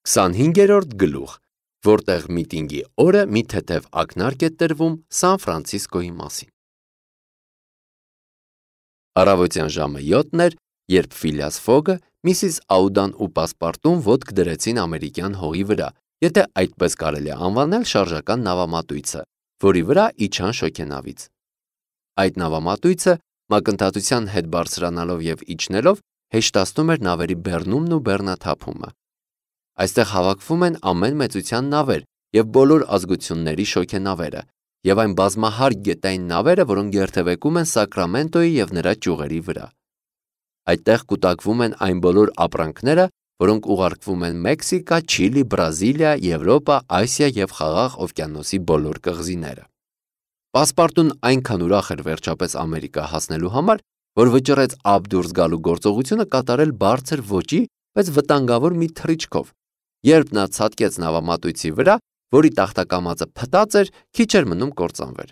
25-րդ գլուխ, որտեղ միտինգի օրը մի թեթև ակնարկ է տրվում Սան Ֆրանցիսկոյի մասին։ Առավոտյան ժամը 7-ն էր, երբ Ֆիլիաս Ֆոգը, Միսիս Աուդան ու Պասպարտուն ոտք դրեցին ամերիկյան հողի վրա, եթե այդպես կարելի է անվանել շարժական նավամատույցը, որի վրա իջան շոգենավից։ Այդ նավամատույցը, մակընթացության հետ բարձրանալով և իջնելով, հեշտացնում էր նավերի բեռնումն ու բեռնաթափումը։ Այստեղ հավաքվում են ամեն մեծության նավեր և բոլոր ազգությունների շոգենավերը, և այն բազմահարկ գետային նավերը, որոնք երթևեկում են Սակրամենտոյի և նրա ճյուղերի վրա։ Այդտեղ կուտակվում են այն բոլոր ապրանքները, որոնք ուղարկվում են Մեքսիկա, Չիլի, Բրազիլիա, Եվրոպա, Ասիա և Խաղաղ օվկիանոսի բոլոր կղզիները։ Պասպարտուն այնքան ուրախ էր վերջապես Ամերիկա հասնելու համար, որ վճռեց ափ դուրս գալու գործողությունը կատարել բարձր ոճի, բայց վտանգավոր մի թռիչքով։ Երբ նա ցատկեց նավամատույցի վրա, որի տախտակամածը փտած էր, քիչ էր մնում կործանվեր։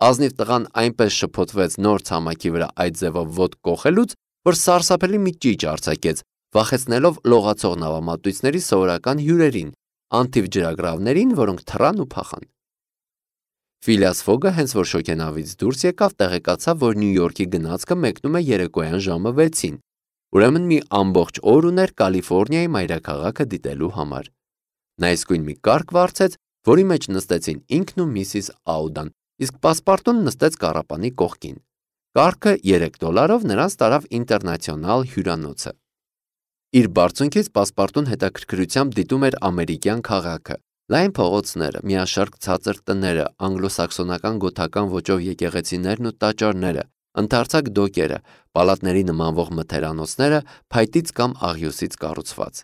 Ազնիվ տղան այնպես շփոթվեց նոր ցամաքի վրա այդ ձևով ոտք կոխելուց, որ սարսափելի մի ճիչ արձակեց, վախեցնելով լողացող նավամատույցների սովորական հյուրերին, անթիվ ջրագրավներին, որոնք թռան ու փախան։ Ֆիլիաս Ֆոգը հենց որ շոգենավից դուրս եկավ, տեղեկացավ, որ Նյու Յորքի գնացքը մեկնում է երեկոյան ժամը 6-ին, ուրեմն մի ամբողջ օր ուներ Կալիֆոռնիայի մայրաքաղաքը դիտելու համար։ Նա իսկույն մի կառք վարձեց, որի մեջ նստեցին ինքն ու Միսիս Աուդան, իսկ Պասպարտուն նստեց կառապանի կողքին։ Կառքը $3 նրանց տարավ ինտերնացիոնալ հյուրանոցը։ Իր բարձունքից Պասպարտուն հետաքրքրությամբ դիտում էր ամերիկյան քաղաքը, լայն փողոցները, միաշարք ցածր տները, անգլոսաքսոնական գոթական ոճով եկեղեցիներն ու տաճարները, ընդարձակ դոկերը, պալատների նմանվող մթերանոցները, փայտից կամ աղյուսից կառուցված։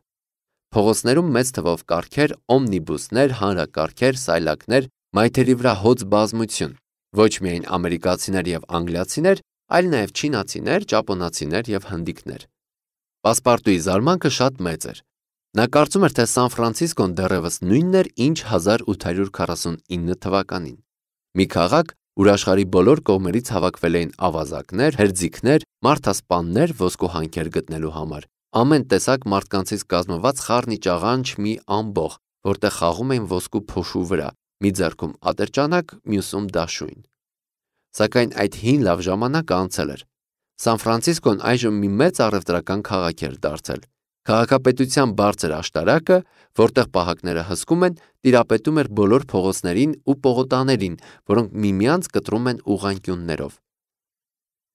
Փողոցներում մեծ թվով կառքեր, օմնիբուսներ, հանրակառքեր, սայլակներ, մայթերի վրա հոծ բազմություն, ոչ միայն ամերիկացիներ և անգլիացիներ, այլ նաև չինացիներ, ճապոնացիներ և հնդիկներ։ Պասպարտուի զարմանքը շատ մեծ էր։ Նա կարծում էր, թե Սան Ֆրանցիսկոն դեռևս նույնն էր, ինչ 1849 թվականին։ Մի քաղաք, ուր աշխարհի բոլոր կողմերից հավաքվել էին ավազակներ, հերձիկներ, մարդասպաններ ոսկուհանքեր գտնելու համար, ամեն տեսակ մարդկանցից կազմված խառնիճաղանճ մի ամբոխ, որտեղ խաղում էին ոսկու փոշու վրա, մի ձեռքում ատրճանակ, մյուսում դաշույն։ Սակայն այդ հին լավ ժամանակը անցել էր։ Սան Ֆրանցիսկոն այժմ մի մեծ առևտրական քաղաք էր դարձել։ Քաղաքապետության բարձր աշտարակը, որտեղ պահակները հսկում են, տիրապետում էր բոլոր փողոցներին ու պողոտաներին, որոնք միմյանց կտրում են ուղղանկյուններով։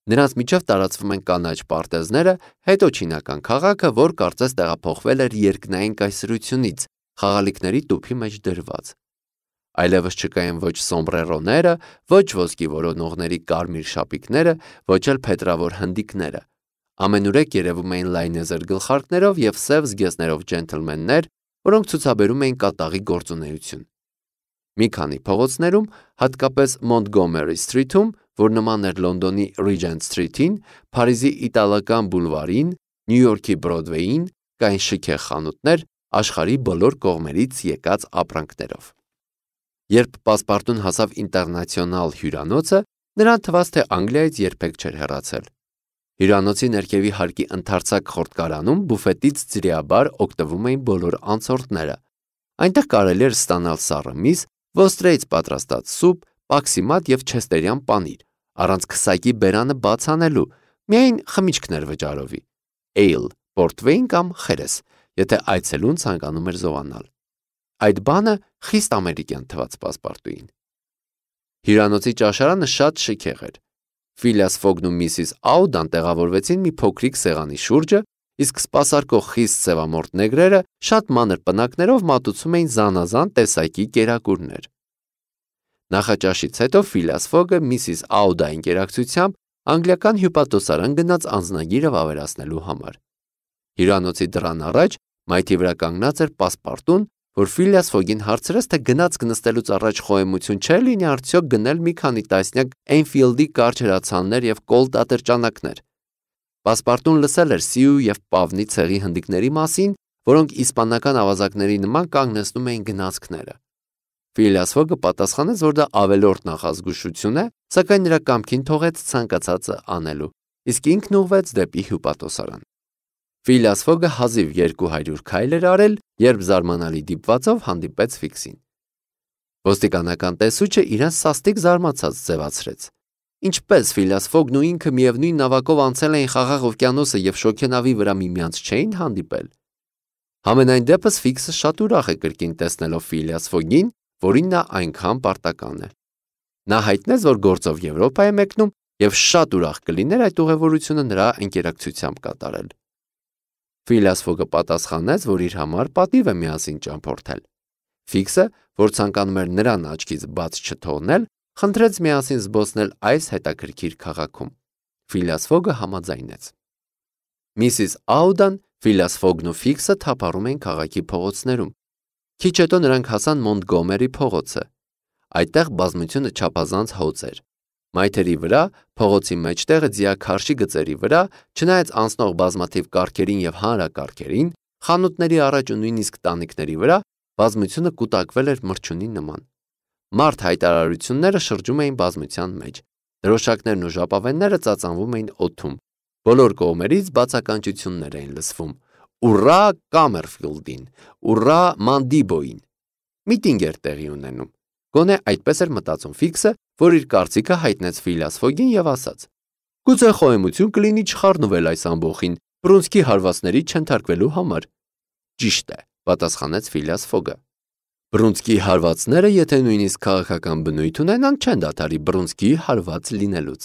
Նրանց միջև տարածվում են կանաչ պարտեզները, հետո չինական քաղաքը, որ կարծես տեղափոխվել էր երկնային կայսրությունից, խաղալիքների տուփի մեջ դրված։ Այլևս չկային ոչ սոմբրերոները, ոչ ոսկի որոնողների կարմիր շապիկները, ոչ էլ փետրավոր հնդիկները։ Ամենուրեք երևում էին լայնեզր գլխարկներով և սև զգեստներով ջենթլմեններ, որոնք ցուցաբերում էին կատաղի գործունեություն։ Մի քանի փողոցներում, հատկապես Մոնտգոմերի Սթրիթում, որ նման էր Լոնդոնի Ռիջենտ Սթրիթին, Փարիզի Իտալական բուլվարին, Նյու Յորքի Բրոդվեյին, կային շքեղ խանութներ, աշխարհի բոլոր կողմերից եկած ապրանքներով։ Երբ Պասպարտուն հասավ ինտերնացիոնալ հյուրանոցը, նրան թվաց, թե Անգլիայից երբեք չէր հեռացել։ Հյուրանոցի ներքևի հարկի ընդարձակ խորտկարանում բուֆետից ձրիաբար օգտվում էին բոլոր անցորդները։ Այնտեղ կարելի էր ստանալ սառը միս, ոստրեից պատրաստած սուպ, պաքսիմատ և չեստերյան պանիր, առանց քսակի բերանը բաց անելու, միայն խմիչքներ վճարովի, էյլ, պորտվեյն կամ խերես, եթե այցելուն ցանկանում էր զովանալ։ Այդ բանը խիստ ամերիկյան թվաց Պասպարտուին։ Հյուրանոցի ճաշարանը շատ շքեղ էր։ Ֆիլիաս Ֆոգն ու Միսիս Աուդան տեղավորվեցին մի փոքրիկ սեղանի շուրջը, իսկ սպասարկող խիստ սևամորթ նեգրերը շատ մանր պնակներով մատուցում էին զանազան տեսակի կերակուրներ։ Նախաճաշից հետո Ֆիլիաս Ֆոգը Միսիս Աուդայի ընկերակցությամբ անգլիական հյուպատոսարան գնաց անձնագիրը վավերացնելու համար։ Հյուրանոցի դռան առաջ մայթի վրա կանգնած էր Պասպարտուն, որ Ֆիլիաս Ֆոգին հարցրեց, թե գնացք նստելուց առաջ խոհեմություն չէ լինի արդյոք գնել մի քանի տասնյակ Էնֆիլդի կարճ հրացաններ և կոլտ ատրճանակներ։ Պասպարտուն լսել էր Սիու և Պավնի ցեղի հնդիկների մասին, որոնք իսպանական ավազակների նման կանգնեցնում էին գնացքները։ Ֆիլիաս Ֆոգը պատասխանեց, որ դա ավելորդ նախազգուշություն է, սակայն նրա կամքին թողեց ցանկացածը անելու, իսկ ինքն ուղղվեց դեպի հյուպատոսարան։ Ֆիլիաս Ֆոգը հազիվ 200 քայլ էր արել, երբ զարմանալի դիպվածով հանդիպեց Ֆիքսին։ Ոստիկանական տեսուչը իրեն սաստիկ զարմացած ձևացրեց։ Ինչպես Ֆիլիաս Ֆոգն ու ինքը միևնույն նավակով անցել էին Խաղաղ օվկիանոսը եւ շոգենավի վրա միմյանց չէին հանդիպել։ Համենայն դեպս Ֆիքսը շատ ուրախ է կրկին տեսնելով Ֆիլիաս Ֆոգին, որին նա այնքան պարտական է։ Նա հայտնեց, որ գործով Եվրոպա է մեկնում եւ շատ ուրախ կլիներ այդ ուղևորությունը նրա ընկերակցությամբ կատարել։ Ֆիլիաս Ֆոգը պատասխանեց, որ իր համար պատիվ է միասին ճամփորդել։ Ֆիքսը, որ ցանկանում էր նրան աչքից բաց չթողնել, խնդրեց միասին զբոսնել այս հետաքրքիր քաղաքում։ Ֆիլիաս Ֆոգը համաձայնեց։ Միսիս Աուդան, Ֆիլիաս Ֆոգն ու Ֆիքսը թափառում էին քաղաքի փողոցներում։ Քիչ հետո նրանք հասան Մոնտգոմերի փողոցը։ Այդտեղ բազմությունը չափազանց հոծ էր։ Մայթերի վրա, փողոցի մեջտեղը ձիաքարշի գծերի վրա, չնայած անցնող բազմաթիվ կառքերին եւ հանրակառքերին, խանութների առաջ ու նույնիսկ տանիքների վրա բազմությունը կուտակվել էր մրջյունի նման։ Մարդ հայտարարությունները շրջում էին բազմության մեջ։ Դրոշակներն ու ժապավենները ծածանվում էին օդում։ Բոլոր կողմերից բացականչություններ էին լսվում. «Ուռա Կամերֆիլդին», «Ուռա Մանդիբոյին»։ Միտինգ էր տեղի ունենում։ Գոնե այդպես էր մտածում Ֆիքսը, որ իր կարծիքը հայտնեց Ֆիլիաս Ֆոգին եւ ասաց. «Գուցե խոհեմություն կլինի չխառնվել այս ամբոխին բռունցքի հարվածների չընթարկվելու համար»։ Ճիշտ է, պատասխանեց Ֆիլիաս Ֆոգը։ Բռունցքի հարվածները, եթե նույնիսկ քաղաքական բնույթ ունենան, չեն դադարի բռունցքի հարված լինելուց։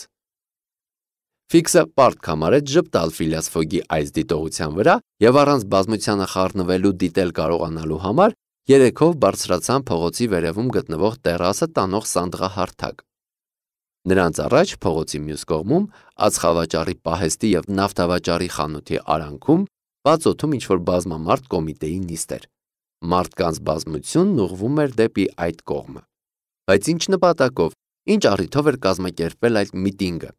Ֆիքսը պարտք համարեց ժպտալ Ֆիլիաս Ֆոգի այս դիտողության վրա եւ առանց բազմությանը խառնվելու դիտել կարողանալու համար երեքով բարձրացան փողոցի վերևում գտնվող տերասը տանող սանդղահարթակ։ Նրանց առաջ փողոցի մյուս կողմում ածխավաճառի պահեստի եւ նավթավաճառի խանութի արանքում բաց օդում ինչ-որ բազմամարդ կոմիտեի նիստ էր։ Մարդկանց բազմությունն ուղղվում էր դեպի այդ կողմը։ Բայց ինչ նպատակով, ինչ առիթով էր կազմակերպվել այդ միտինգը։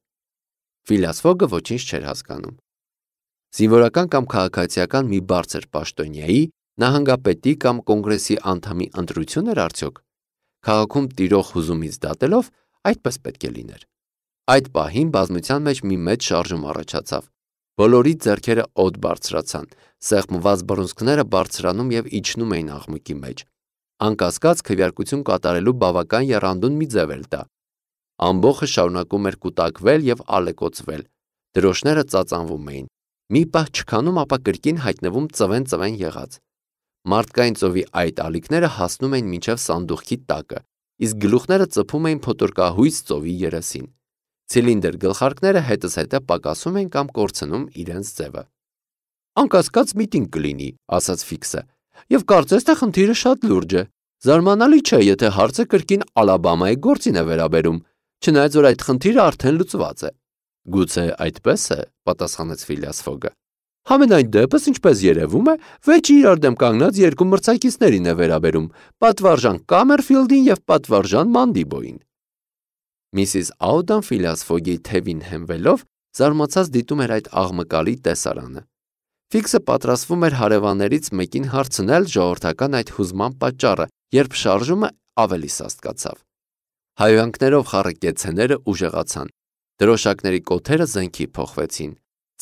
Ֆիլիաս Ֆոգը ոչինչ չէր հասկանում։ Զինվորական կամ քաղաքացիական մի բարձր պաշտոնյայի, նահանգապետի կամ կոնգրեսի անդամի ընտրություն էր արդյոք։ Քաղաքում տիրող հուզումից դատելով այդպես պետք է լիներ։ Այդ պահին բազմության մեջ մի մեծ շարժում առաջացավ։ Բոլորի ձեռքերը օդ բարձրացան, սեղմված բռունցքները բարձրանում եւ իջնում էին աղմուկի մեջ։ Անկասկած քվեարկություն կատարելու բավական եռանդուն մի ձև էր դա։ Ամբողջը շարունակում էր կուտակվել եւ ալեկոծվել։ Դրոշները ծածանվում էին։ Մի պահ չքանում, ապա կրկին հայտնվում ծվեն եղած։ Մարդկային ծովի այդ ալիքները հասնում էին մինչև սանդուղքի տակը, իսկ գլուխները ծփում էին փոթորկահույս ծովի երեսին։ Ցիլինդր գլխարկները հետզհետե պակասում էին կամ կորցնում իրենց ձևը։ Անկասկած միտինգ կլինի, ասաց Ֆիքսը, եւ կարծես թե խնդիրը շատ լուրջ է։ Զարմանալի չէ, եթե հարցը կրկին Ալաբամայի գործին է վերաբերում, չնայած որ այդ խնդիրը արդեն լուծված է։ Գուցե այդպես է, պատասխանեց Ֆիլիաս Ֆոգը։ Համենայն դեպս, ինչպես երևում է, վեճի իրար դեմ կանգնած երկու մրցակիցներին է վերաբերում՝ պատվարժան Կամերֆիլդին եւ պատվարժան Մանդիբոյին։ Միսիս Աուդան Ֆիլիաս Ֆոգի թևին հենվելով զարմացած դիտում էր այդ աղմկալի տեսարանը։ Ֆիքսը պատրաստվում էր հարևաններից մեկին հարցնել ժողովրդական այդ հուզման պատճառը, երբ շարժումը ավելի սաստկացավ։ Հայհոյանքներով խառը կեցցեները ուժեղացան։ Դրոշակների կոթերը զենքի փոխվեցին։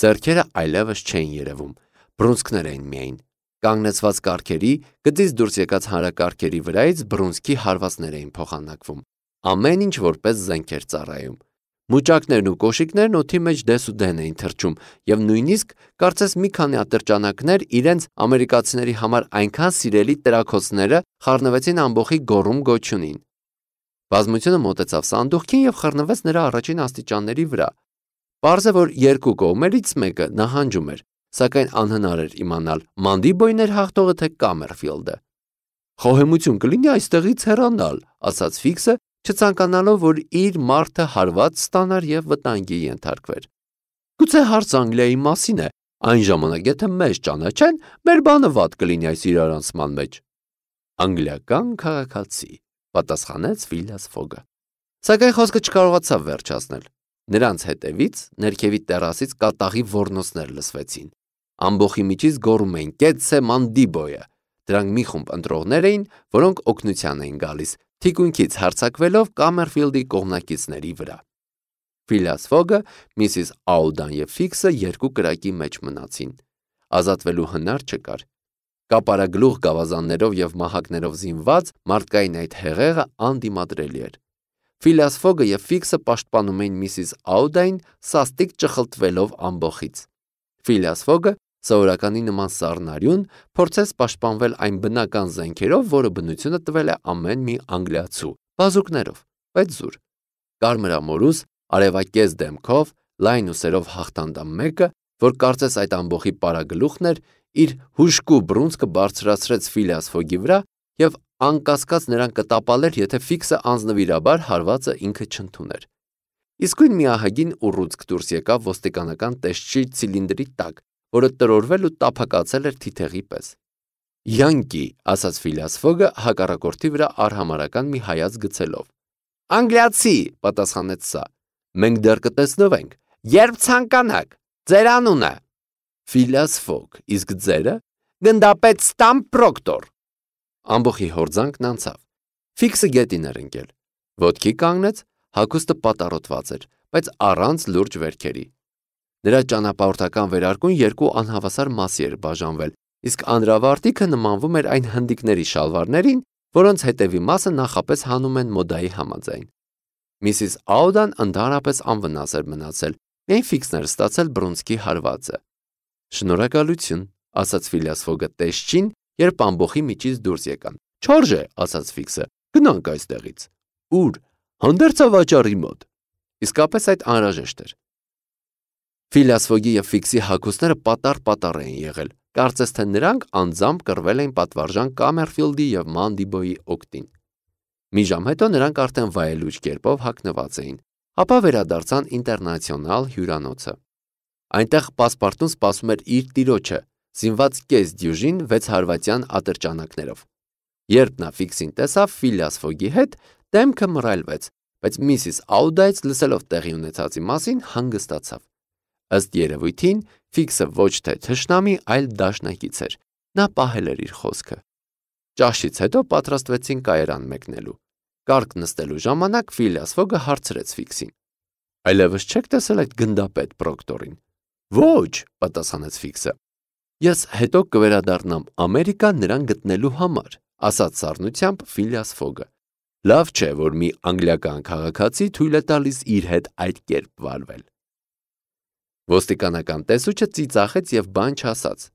Ձեռքերը այլևս չէին երևում, բռունցքներ էին միայն։ Կանգնեցված կառքերի, գծից դուրս եկած հանրակառքերի վրայից բռունցքի հարվածներ էին փոխանակվում։ Ամեն ինչ որպես զենք էր ծառայում։ Մուճակներն ու կոշիկներն օդի մեջ դեսուդեն էին թռչում, եւ նույնիսկ կարծես մի քանի ատրճանակներ իրենց ամերիկացիների համար այնքան սիրելի տրաքոցները խառնվեցին ամբողջի գոռում գոչյունին։ Բազմությունը մոտեցավ սանդուղքին եւ խռնվեց նրա առաջին աստիճանների վրա։ Պարզ է, որ երկու կողմերից մեկը նահանջում էր, սակայն անհնար էր իմանալ Մանդիբոյն էր հաղթողը թե Կամերֆիլդը։ Խոհեմություն կլինի այստեղից հեռանալ, ասաց Ֆիքսը, չցանկանալով, որ իր մարդը հարված ստանար եւ վտանգի ենթարկվեր։ Գուցե հարց Անգլիայի մասին է, այն ժամանակ եթե մեզ ճանաչեն, մեր բանը վատ կլինի այս իրարանցման մեջ։ Անգլիական քաղաքացի, պատասխանեց Ֆիլիաս Ֆոգը։ Սակայն խոսքը չկարողացավ վերջացնել։ Նրանց հետևից ներքևի տերասից կատաղի ոռնոցներ լսվեցին։ Ամբողջի միջից գոռում էին «Կեցցե Մանդիբոյը»։ Դրանք մի խումբ ընտրողներ էին, որոնք օգնության էին գալիս, թիկունքից հարձակվելով Կամերֆիլդի կողմնակիցների վրա։ Ֆիլիաս Ֆոգը, Միսիս Աուդան եւ Ֆիքսը երկու կրակի մեջ մնացին։ ազատվելու հնար չկար։ Կապարագլուխ գավազաններով և մահակներով զինված մարդկային այդ հեղեղը անդիմադրելի էր։ Ֆիլիաս Ֆոգը և Ֆիքսը պաշտպանում էին Միսիս Աուդային սաստիկ ճխլտվելով ամբոխից։ Ֆիլիաս Ֆոգը սովորականի նման սառնարյուն փորձեց պաշտպանվել այն բնական զենքերով, որը բնությունը տվել է ամեն մի անգլիացու, բազուկներով, բայց զուր։ Կարմրամորուս, արևակեզ դեմքով, լայն ուսերով հաղթանդամ մեկը, որ կարծես այդ ամբոխի պարագլուխն էր, իր հուժկու բռունցքը բարձրացրեց Ֆիլիաս Ֆոգի վրա և անկասկած նրան կտապալեր, եթե Ֆիքսը անձնվիրաբար հարվածը ինքը չընդուներ։ Իսկույն մի ահագին ուռուցք դուրս եկավ ոստիկանական տեսչի ցիլինդրի տակ, որը տրորվել ու տափակացել էր թիթեղի պես։ «Յանկի», ասաց Ֆիլիաս Ֆոգը հակառակորդի վրա արհամարհական մի հայացք գցելով։ «Անգլիացի», պատասխանեց սա։ «Մենք դեռ կտեսնվենք, երբ ցանկանաք, ձեր անունը»։ Ֆիլիաս Ֆոգ, իսկ ձերը։ «Գնդապետ Ստամփ Պրոկտոր»։ Ամբոխի հորձանքն անցավ։ Ֆիքսը գետին էր ընկել։ Ոտքի կանգնեց, հագուստը պատառոտված էր, բայց առանց լուրջ վերքերի։ Նրա ճանապարհորդական վերարկուն երկու անհավասար մասի էր բաժանվել, իսկ անդրավարտիքը նմանվում էր այն հնդիկների շալվարներին, որոնց հետևի մասը նախապես հանում են մոդայի համաձայն։ Միսիս Աուդան ընդհանրապես անվնաս էր մնացել, միայն Ֆիքսն էր ստացել բռունցքի հարվածը։ «Շնորհակալություն», ասաց Ֆիլիաս Ֆոգը տեսչին, երբ ամբոխի միջից դուրս եկան։ «Չարժե», ասաց Ֆիքսը, «գնանք այստեղից»։ «Ուր»։ «Հանդերձավաճառի մոտ»։ Իսկապես այդ անհրաժեշտ էր։ Ֆիլիաս Ֆոգի և Ֆիքսի հագուստները պատառ էին եղել, կարծես թե նրանք անձամբ կռվել էին պատվարժան Կամերֆիլդի և Մանդիբոյի օգտին։ Մի ժամ հետո նրանք արդեն վայելուչ կերպով հագնված էին, ապա վերադարձան Ինտերնացիոնալ հյուրանոցը։ Այնտեղ պասպարտուն սպասում էր իր տիրոջը, զինված կես դյուժին 6 հարվածյան ատրճանակներով։ Երբ նա Ֆիքսին տեսավ Ֆիլիաս Ֆոգի հետ, դեմքը մռայլվեց, բայց Միսիս Աուդայից լսելով տեղի ունեցածի մասին հանգստացավ։ Ըստ երևույթին, Ֆիքսը ոչ թե թշնամի, այլ դաշնակից էր։ Նա պահել էր իր խոսքը։ Ճաշից հետո պատրաստվեցին կայարան մեկնելու։ Կառք նստելու ժամանակ Ֆիլիաս Ֆոգը հարցրեց Ֆիքսին. «Այլևս չեք տեսել այդ գնդապետ Պրոկտորին»։ «Ոչ», պատասխանեց Ֆիքսը։ «Ես հետո կվերադառնամ Ամերիկա նրան գտնելու համար», ասաց սառնությամբ Ֆիլիաս Ֆոգը։ «Լավ չէ, որ մի անգլիական քաղաքացի թույլ է տալիս իր հետ այդ կերպ վարվել»։ Ոստիկանական տեսուչը ծիծաղեց և բան չասաց։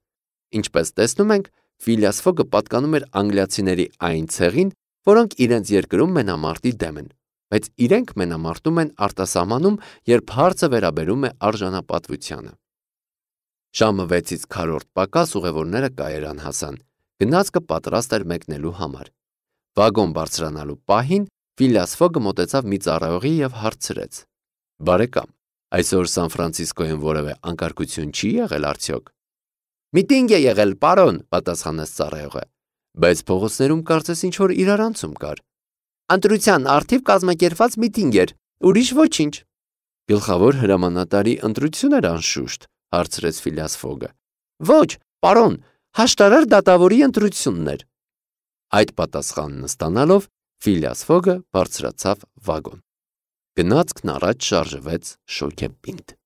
Ինչպես տեսնում ենք, Ֆիլիաս Ֆոգը պատկանում էր անգլիացիների այն ցեղին, որոնք իրենց երկրում մենամարտի դեմ են, բայց իրենք մենամարտում են արտասահմանում, երբ հարցը վերաբերում է արժանապատվությանը։ Ժամը 6-ից քառորդ պակաս ուղևորները կայարան հասան։ Գնացքը պատրաստ էր մեկնելու համար։ Վագոն բարձրանալու պահին Ֆիլիաս Ֆոգը մոտեցավ մի ծառայողի և հարցրեց. «Բարեկամ, այսօր Սան Ֆրանցիսկոյում որևէ անկարգություն չի եղել արդյոք»։ «Միտինգ է եղել, պարոն», պատասխանեց ծառայողը, «բայց փողոցներում կարծես ինչ-որ իրարանցում կար»։ «Ընտրության առթիվ կազմակերպված միտինգ էր, ուրիշ ոչինչ»։ «Գլխավոր հրամանատարի ընտրություն էր անշուշտ», հարցրեց Ֆիլիաս Ֆոգը։ «Ոչ, պարոն, հաշտարար դատավորի ընտրությունն էր»։ Այդ պատասխանն ստանալով Ֆիլիաս Ֆոգը բարձրացավ վագոն։ Գնացքն առաջ շարժվեց շոգեպինդ։